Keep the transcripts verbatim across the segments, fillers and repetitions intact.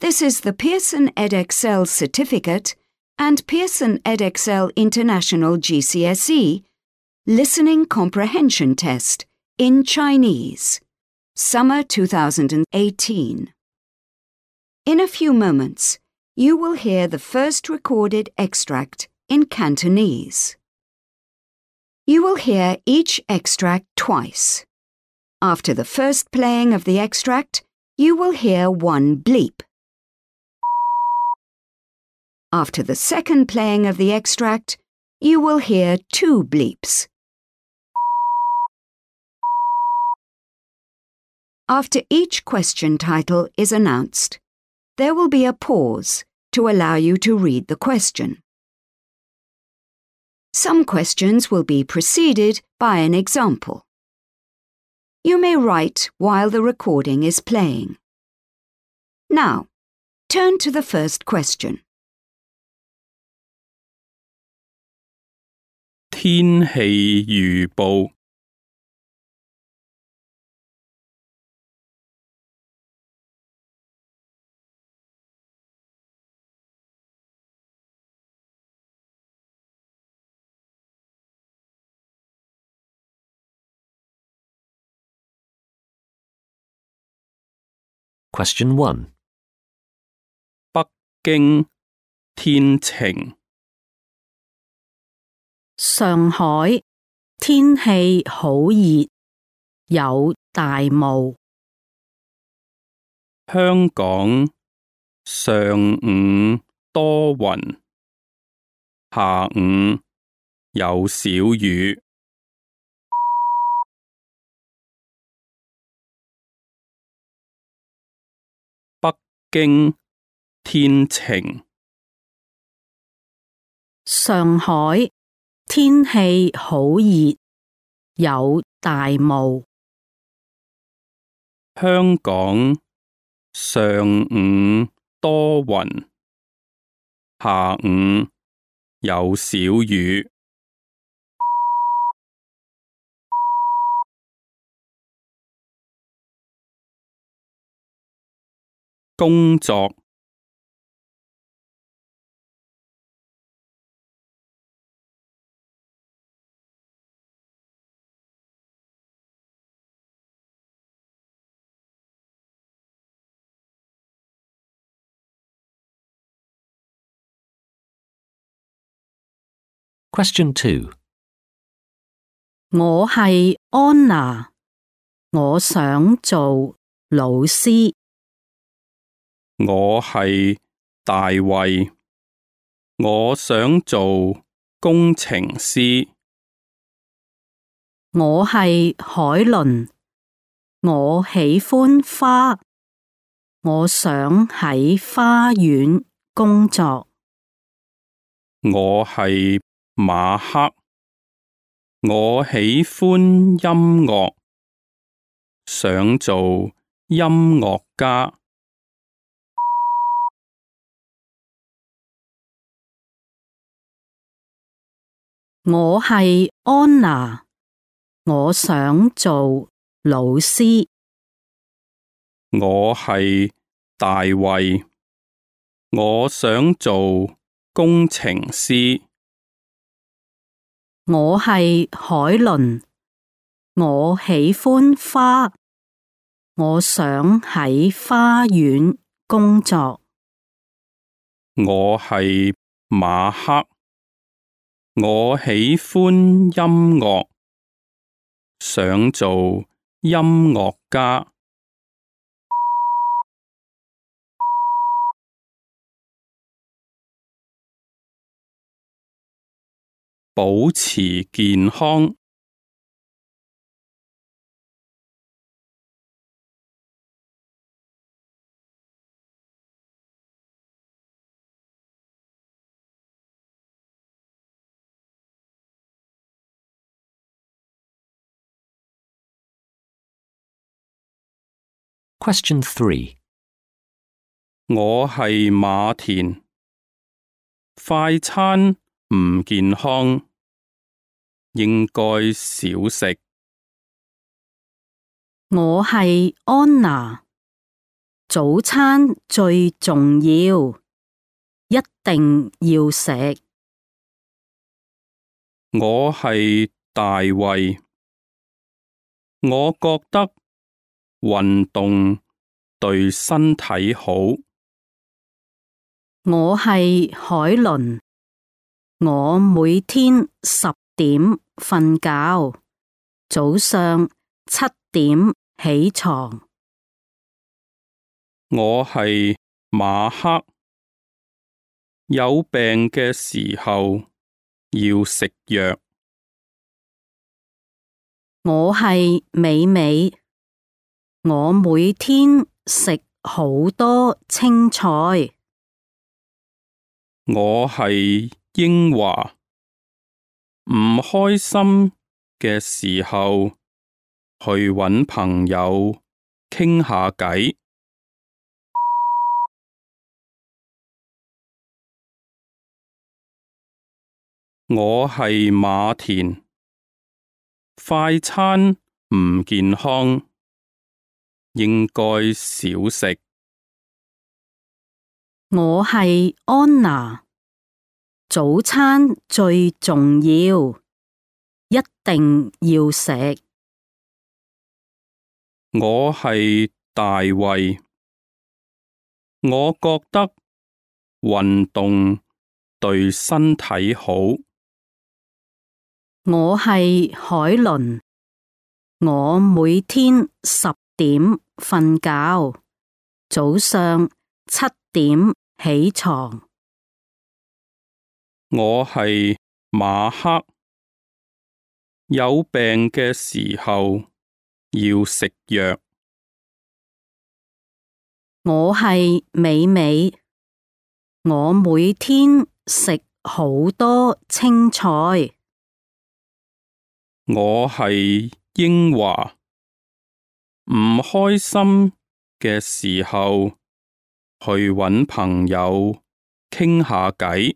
This is the Pearson Edexcel Certificate and Pearson Edexcel International G C S E Listening Comprehension Test in Chinese, Summer two thousand eighteen. In a few moments, you will hear the first recorded extract in Cantonese. You will hear each extract twice. After the first playing of the extract, you will hear one bleep. After the second playing of the extract, you will hear two bleeps. After each question title is announced, there will be a pause to allow you to read the question. Some questions will be preceded by an example. You may write while the recording is playing. Now, turn to the first question. 天氣預報 Question one. 北京天晴 上海天氣好熱，有大霧。香港上午多雲，下午有小雨。北京天晴，上海天氣好熱，有大霧。香港上午多雲，下午有小雨。工作 Question two. 我係安娜，我想做老師。我係大衛，我想做工程師。我係海倫，我喜歡花，我想喺花園工作。我係馬克，我喜歡音樂，想做音樂家。我係安娜，我想做老師。我係大衛，我想做工程師。我係海倫，我喜歡花，我想喺花園工作。我係馬克，我喜歡音樂，想做音樂家。保持健康。Question three. 我係馬田，快餐唔健康，應該少食。我係安娜，早餐最重要，一定要食。我係大衛，我覺得運動對身體好。我係海倫，我每天十點瞓覺，早上七點起床。我係馬克，有病嘅時候要食藥。我係美美，我每天食好多青菜。我係英華，唔開心嘅時候去搵朋友傾下偈。我係馬田，快餐唔健康，應該少食。我係安娜，早餐最重要，一定要食。我係大衛，我覺得運動對身體好。我係海倫，我每天十點瞓覺，早上七點起床。我係馬克，有病嘅時候要食藥。我係美美，我每天食好多青菜。我係英華，唔開心嘅時候去搵朋友傾下偈。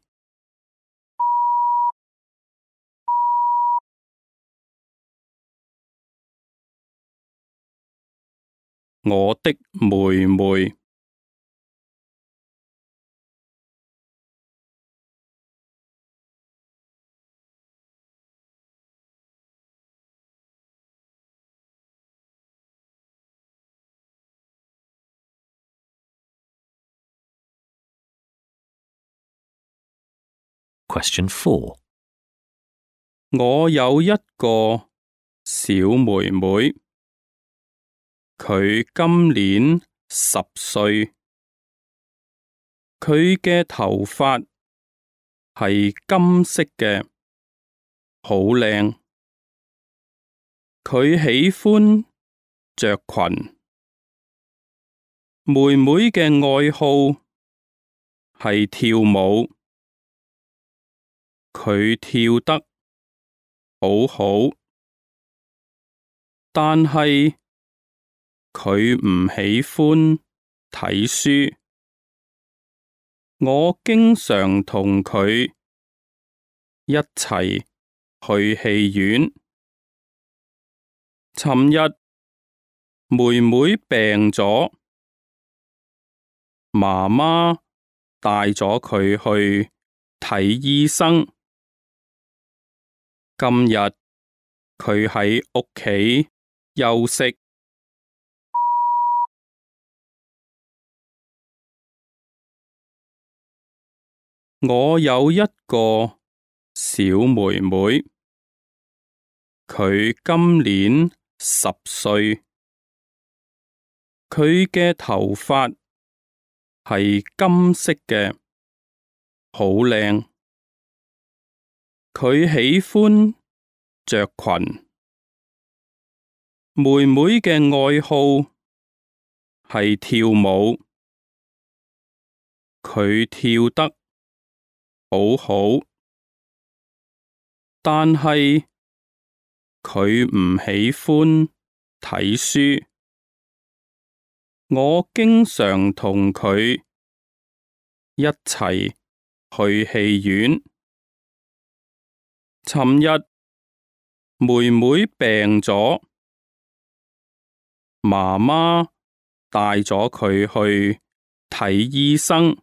我的妹妹。Question four. 我有一個小妹妹，佢今年十歲，佢嘅頭髮係金色嘅，好靚。佢喜歡着裙。妹妹嘅愛好係跳舞，佢跳得好好，但係佢唔喜歡睇書。我經常同佢一齊去戲院。尋日妹妹病咗，媽媽帶咗佢去睇醫生。今日佢喺屋企休息。我有一個小妹妹，佢今年十歲，佢嘅頭髮係金色嘅，好靚。佢喜歡着裙。妹妹嘅愛好係跳舞，佢跳得好好，但係佢唔喜歡睇書。我經常同佢一齊去戲院。尋日妹妹病咗，媽媽帶咗佢去睇醫生。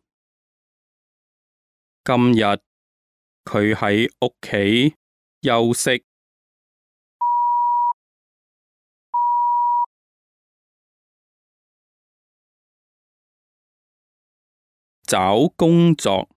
今日佢喺屋企休息。找工作。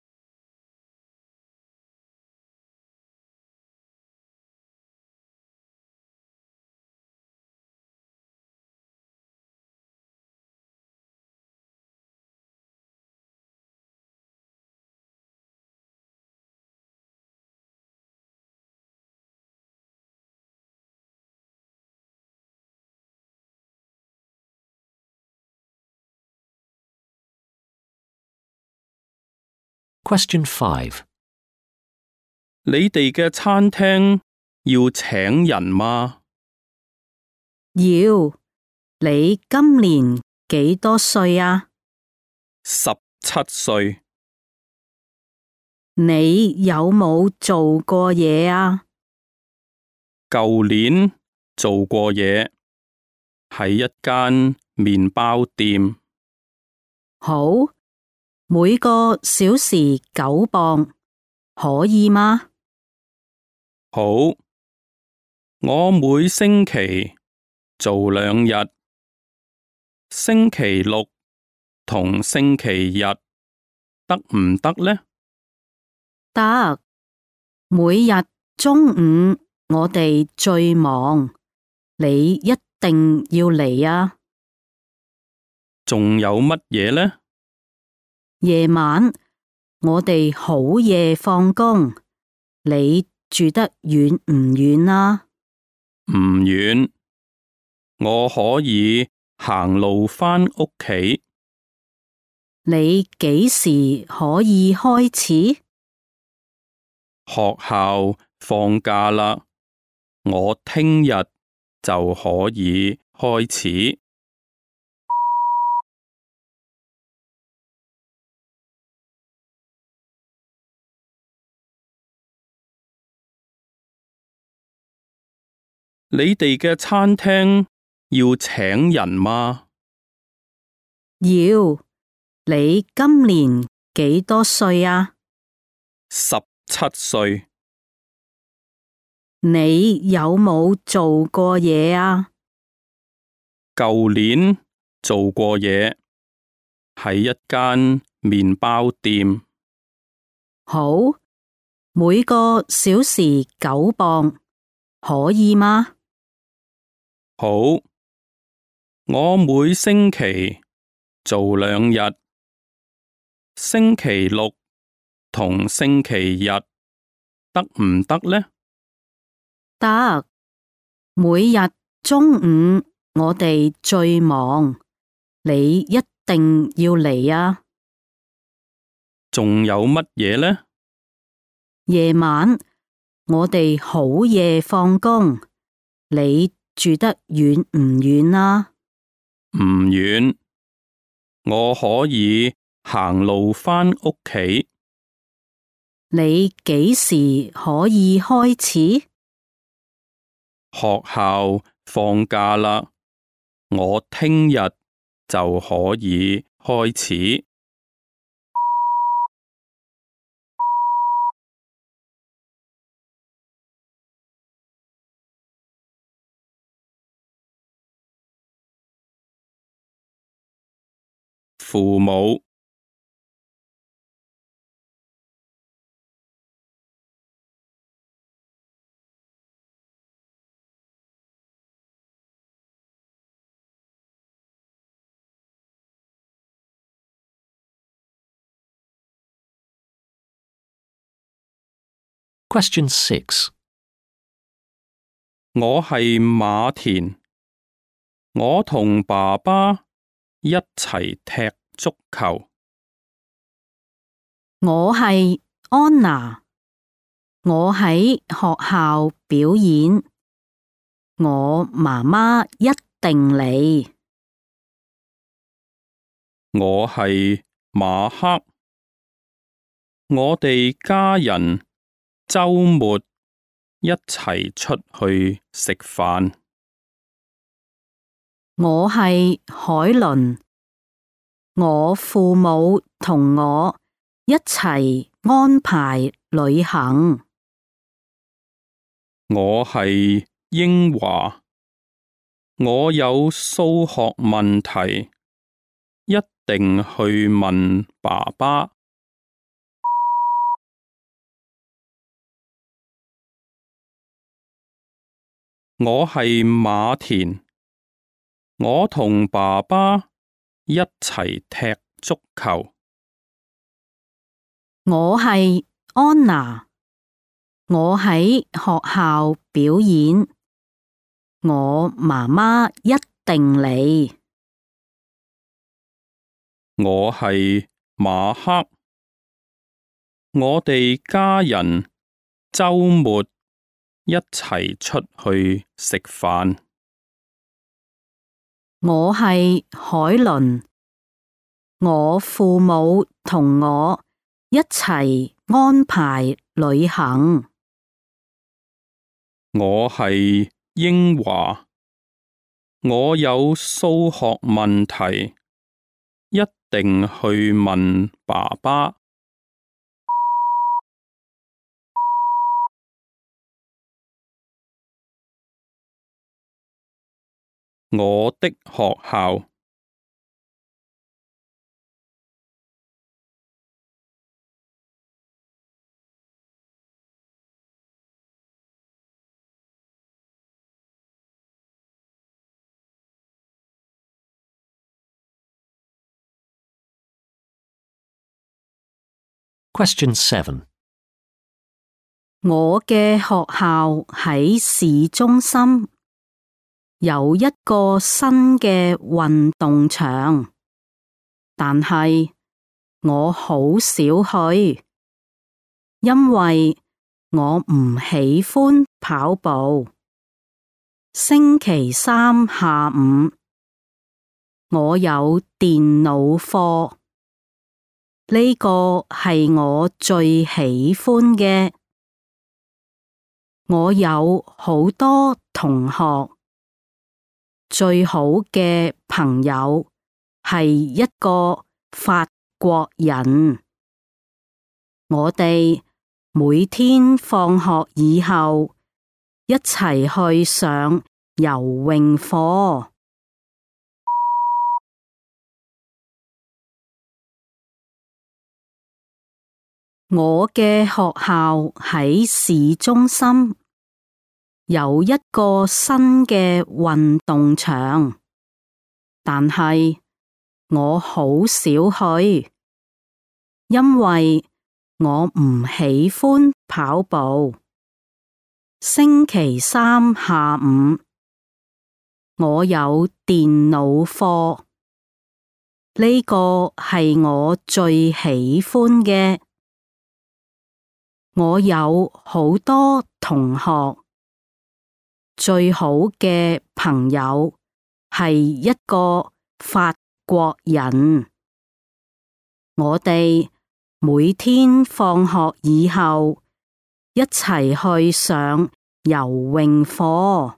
Question five. 你哋嘅餐廳要請人嗎？要。你今年幾多歲啊？十七歲。你有冇做過嘢啊？舊年做過嘢，喺一間麵包店。好，每個小時九磅，可以嗎？好，我每星期做兩日，星期六同星期日得唔得呢？得。每日中午我哋最忙，你一定要嚟啊！仲有乜嘢呢？夜晚我哋好夜放工，你住得遠唔遠啊？唔遠，我可以行路返屋企。你幾時可以開始？學校放假啦，我聽日就可以開始。你哋嘅餐廳要請人嗎？要。你今年幾多歲啊？十七歲。你有冇做過嘢啊？舊年做過嘢，喺一間麵包店。好，每個小時九磅，可以嗎？好，我每星期做兩日，星期六同星期日得唔得呢？得。每日中午我哋最忙，你一定要嚟啊！仲有乜嘢呢？夜晚我哋好夜放工，你住得遠唔遠啊？唔遠，我可以行路返屋企。你幾時可以開始？學校放假啦，我聽日就可以開始。父母。Question six. 我係馬田，我同爸爸一齊踢足球。我係安娜，我喺學校表演，我媽媽一定嚟。我係馬克，我哋家人周末一齊出去食飯。我係海倫。我父母同我一齊安排旅行。我係英華，我有數學問題，一定去問爸爸。我係馬田，我同爸爸一齊踢足球。我係安娜，我喺學校表演，我媽媽一定嚟。我係馬克，我哋家人周末一齊出去食飯。我係海倫，我父母同我一齊安排旅行。我係英華，我有數學問題，一定去問爸爸。我的學校。Question seven. 我嘅學校喺市中心，有一個新嘅運動場，但係我好少去，因為我唔喜歡跑步。星期三下午，我有電腦課，呢個係我最喜歡嘅。我有好多同學，最好嘅朋友係一個法國人。我哋每天放學以後一齊去上游泳課。我嘅學校喺市中心，有一個新嘅運動場，但係我好少去，因為我唔喜歡跑步。星期三下午，我有電腦課，呢個係我最喜歡嘅。我有好多同學，最好嘅朋友係一個法國人。我哋每天放學以後一齊去上游泳課。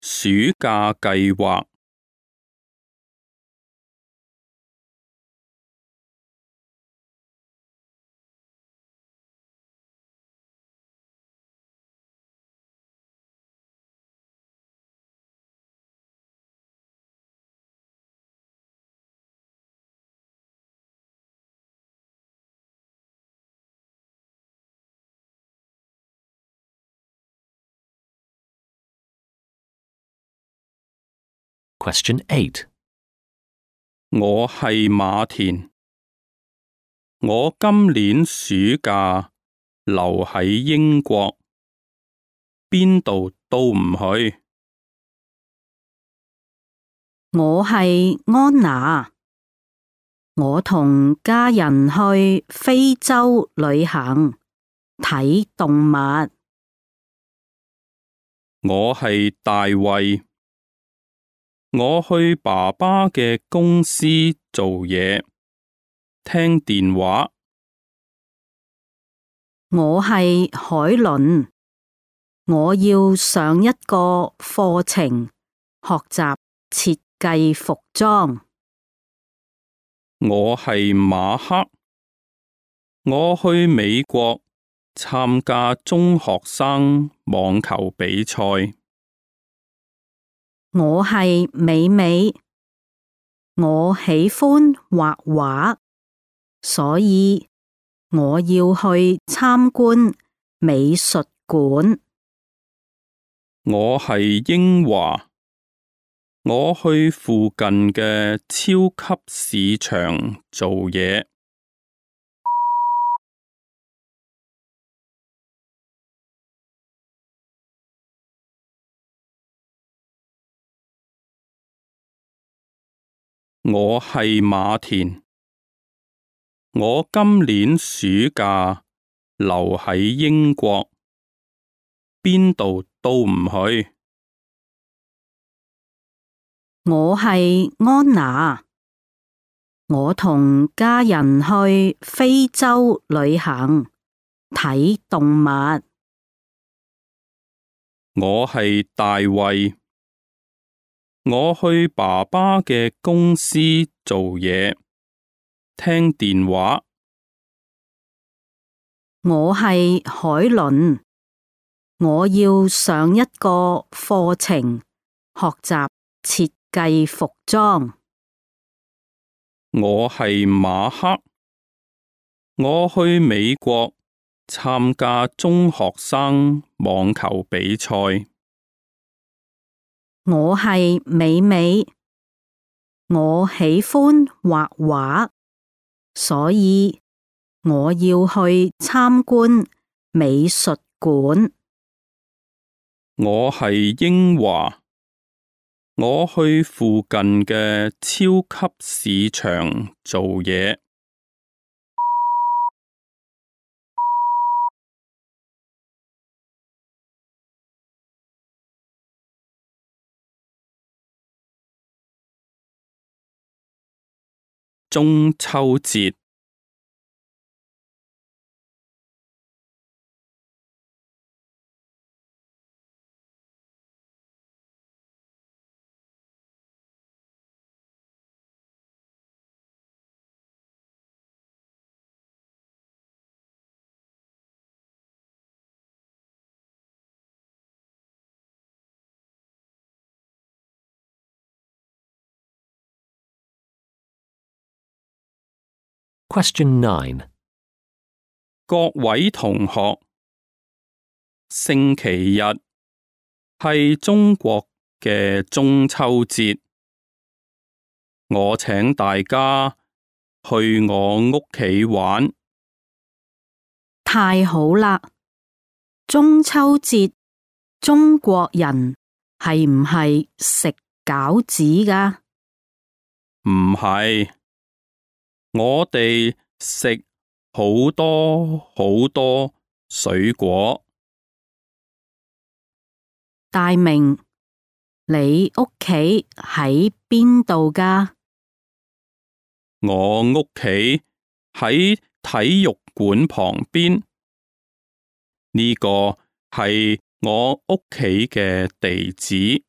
暑假計劃。Question eight. 我係馬田，我今年暑假留喺英國，邊度都唔去。我係安娜，我同家人去非洲旅行，睇動物。我係大衛，我去爸爸嘅公司做嘢，聽電話。我係海倫，我要上一個課程，學習設計服裝。我係馬克，我去美國參加中學生網球比賽。我係美美，我喜歡畫畫，所以我要去參觀美術館。我係英華，我去附近嘅超級市場做嘢。我係馬田，我今年暑假留喺英國，邊度都唔去。我係安娜，我同家人去非洲旅行，睇動物。我係大衛，我去爸爸嘅公司做嘢，聽電話。我係海倫，我要上一個課程，學習設計服裝。我係馬克，我去美國參加中學生網球比賽。我係美美，我喜歡畫畫，所以我要去參觀美術館。我係英華，我去附近嘅超級市場做嘢。中秋節。Question nine. 各位同學，星期日係中國嘅中秋節，我請大家去我屋企玩。太好啦！中秋節中國人係唔係食餃子㗎？唔係，我哋食好多好多水果。大明，你屋企喺邊度㗎？我屋企喺體育館旁邊，呢個係我屋企嘅地址。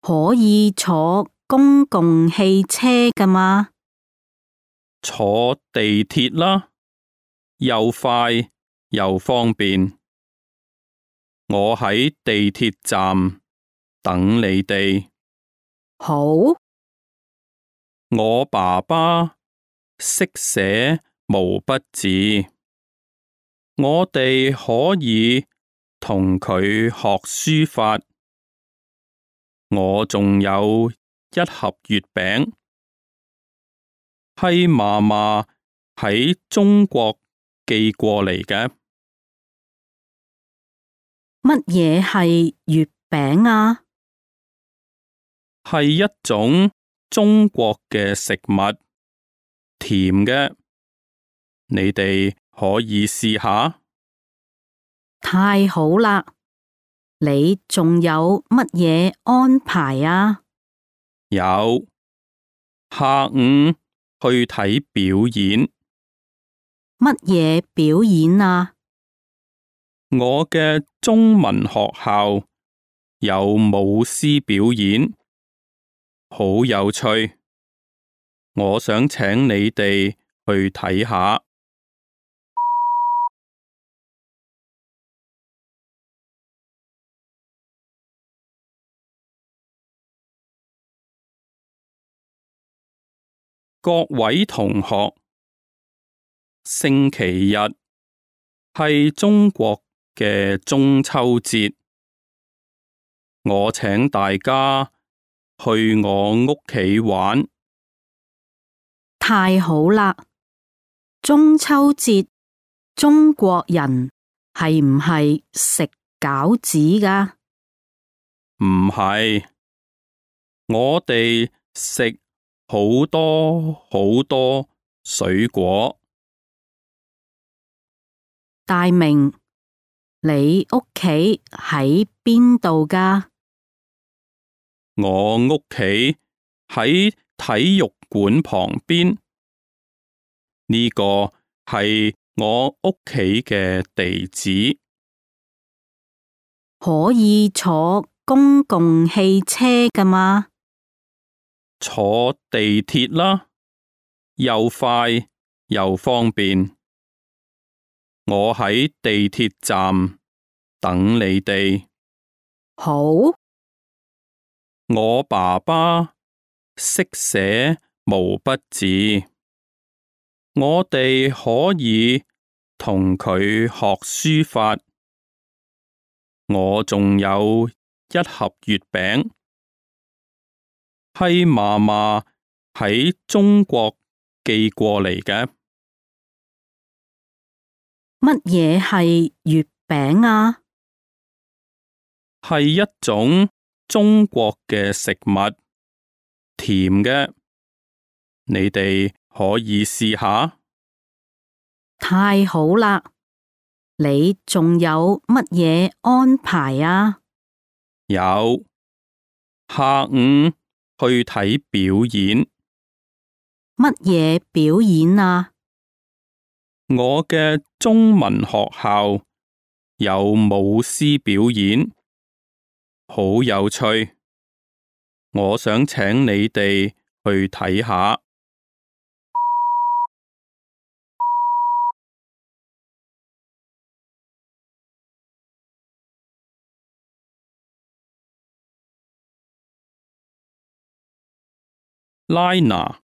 可以坐公共汽車㗎嘛？坐地鐵啦，又快又方便。我喺地鐵站等你哋。好。我爸爸識寫毛筆字，我哋可以同佢學書法。我仲有一盒月餅，係嫲嫲喺中國寄過嚟嘅。乜嘢係月餅啊？係一種中國嘅食物，甜嘅，你哋可以試下。太好啦！你仲有乜嘢安排啊？有，下午去睇表演。乜嘢表演啊？我嘅中文學校有舞獅表演，好有趣。我想請你哋去睇下。各位同學，星期日係中國嘅中秋節，我請大家去我屋企玩。太好啦！中秋節中國人係唔係食餃子㗎？唔係，我哋食好多好多水果。大明，你屋企喺邊度㗎？我屋企喺體育館旁邊，呢個係我屋企嘅地址。可以坐公共汽車㗎嘛？坐地鐵啦，又快又方便。我喺地鐵站等你哋。好。我爸爸識寫毛筆字，我哋可以同佢學書法。我仲有一盒月餅，係嫲嫲喺中國寄過嚟嘅。乜嘢係月餅啊？係一種中國嘅食物，甜嘅，你哋可以試下。太好啦！你仲有乜嘢安排啊？有，下午去睇表演。乜嘢表演啊？我嘅中文學校有舞獅表演，好有趣。我想請你哋去睇下。拉娜。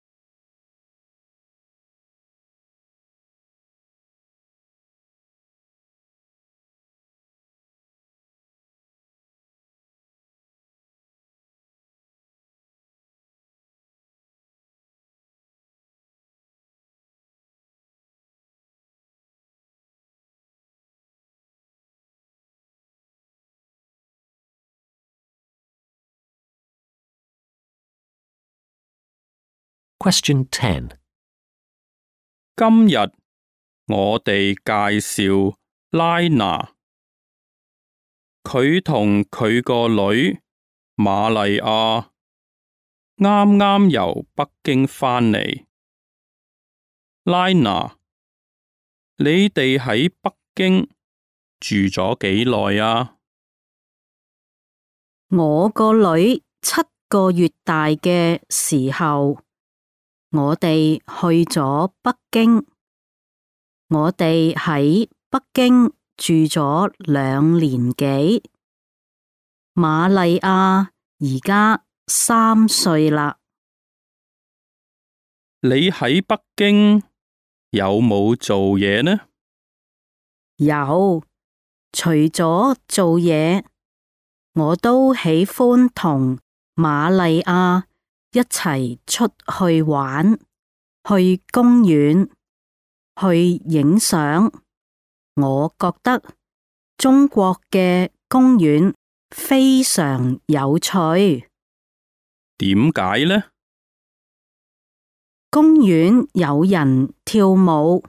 Question ten. 今日我哋介紹拉娜，佢同佢個女瑪麗亞啱啱由北京返嚟。拉娜，你哋喺北京住咗幾耐啊？我個女七個月大嘅時候，我哋去咗北京。我哋喺北京住咗兩年幾。瑪麗亞而家三歲啦。你喺北京有冇做嘢呢？有，除咗做嘢，我都喜歡同瑪麗亞一齊出去玩，去公園，去影相。我覺得中國嘅公園非常有趣。點解呢？公園有人跳舞，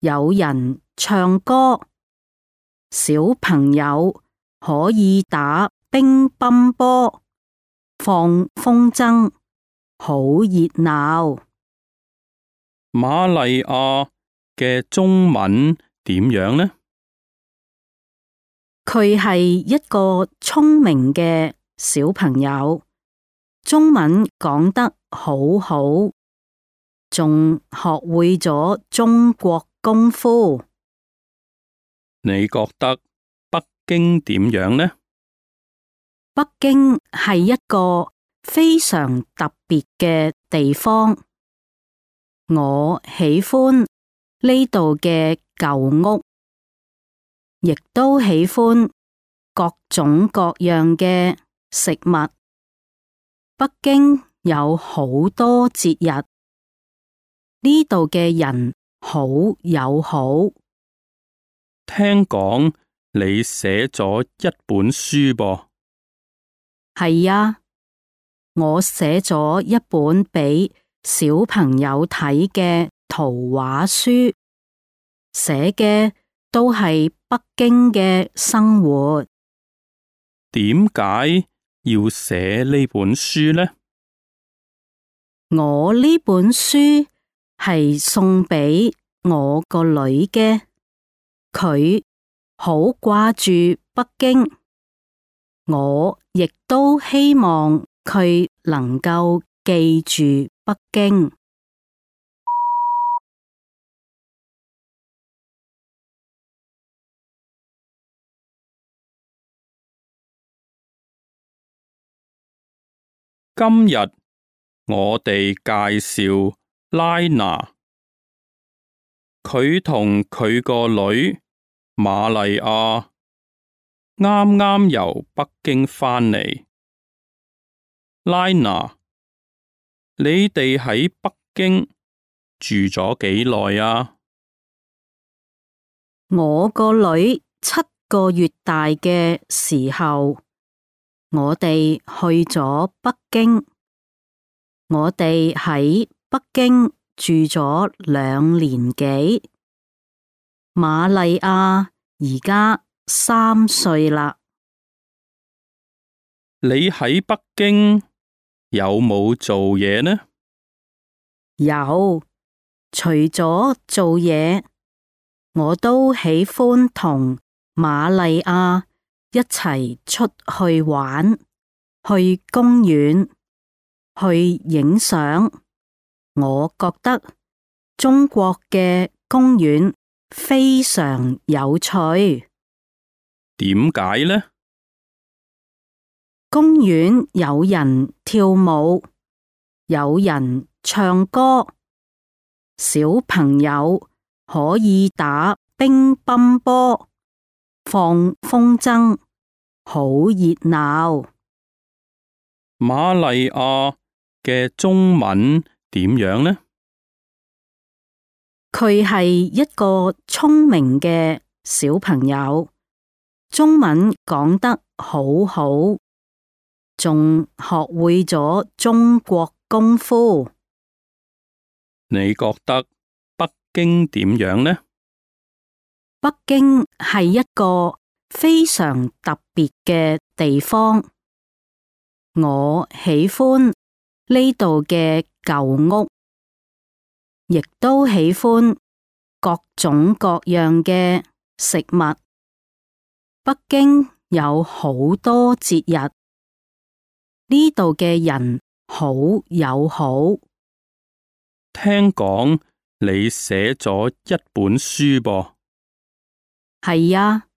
有人唱歌，小朋友可以打乒乓波、放風箏，好熱鬧。瑪麗亞嘅中文點樣呢？佢係一個聰明嘅小朋友，中文講得好好，仲學會咗中國功夫。你覺得北京點樣呢？北京係一個非常特別嘅地方，我喜歡呢度嘅舊屋，亦都喜歡各種各樣嘅食物。北京有好多節日，呢度嘅人好友好。聽講你寫咗一本書噃？係啊，我寫咗一本俾小朋友睇嘅圖畫書，寫嘅都係北京嘅生活。點解要寫呢本書呢？我呢本書係送俾我個女嘅，佢好掛住北京，我亦都希望佢能夠記住北京。今日我哋介紹拉娜，佢同佢個女瑪麗亞啱啱由北京返嚟。拉娜，你哋喺北京住咗幾耐啊？我個女七個月大嘅時候，我哋去咗北京。我哋喺北京住咗兩年幾。瑪麗亞而家三歲啦。你喺北京有冇做嘢呢？有，除咗做嘢，我都喜歡同瑪麗亞一齊出去玩，去公園，去影相。我覺得中國嘅公園非常有趣。點解呢？公園有人跳舞，有人唱歌，小朋友可以打乒乓波，放風箏，好熱鬧。瑪麗亞嘅中文點樣呢？佢係一個聰明嘅小朋友，中文講得好好，仲學會咗中國功夫。你覺得北京點樣呢？北京係一個非常特別嘅地方，我喜歡呢度嘅舊屋，亦都喜歡各種各樣嘅食物。北京有好多節日，呢度嘅人好友好。聽講你寫咗一本書噃？係啊，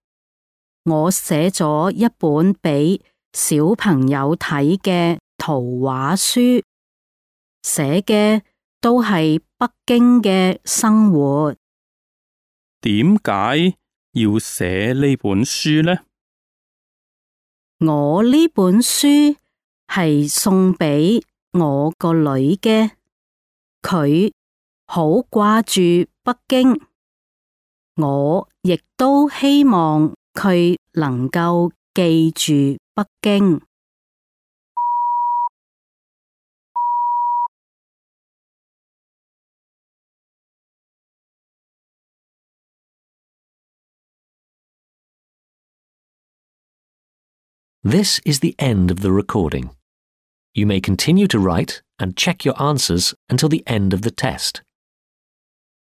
我寫咗一本俾小朋友睇嘅圖畫書，寫嘅都係北京嘅生活。點解要寫呢本書呢？我呢本書係送俾我個女嘅，佢好掛住北京，我亦都希望佢能夠記住北京。This is the end of the recording. You may continue to write and check your answers until the end of the test.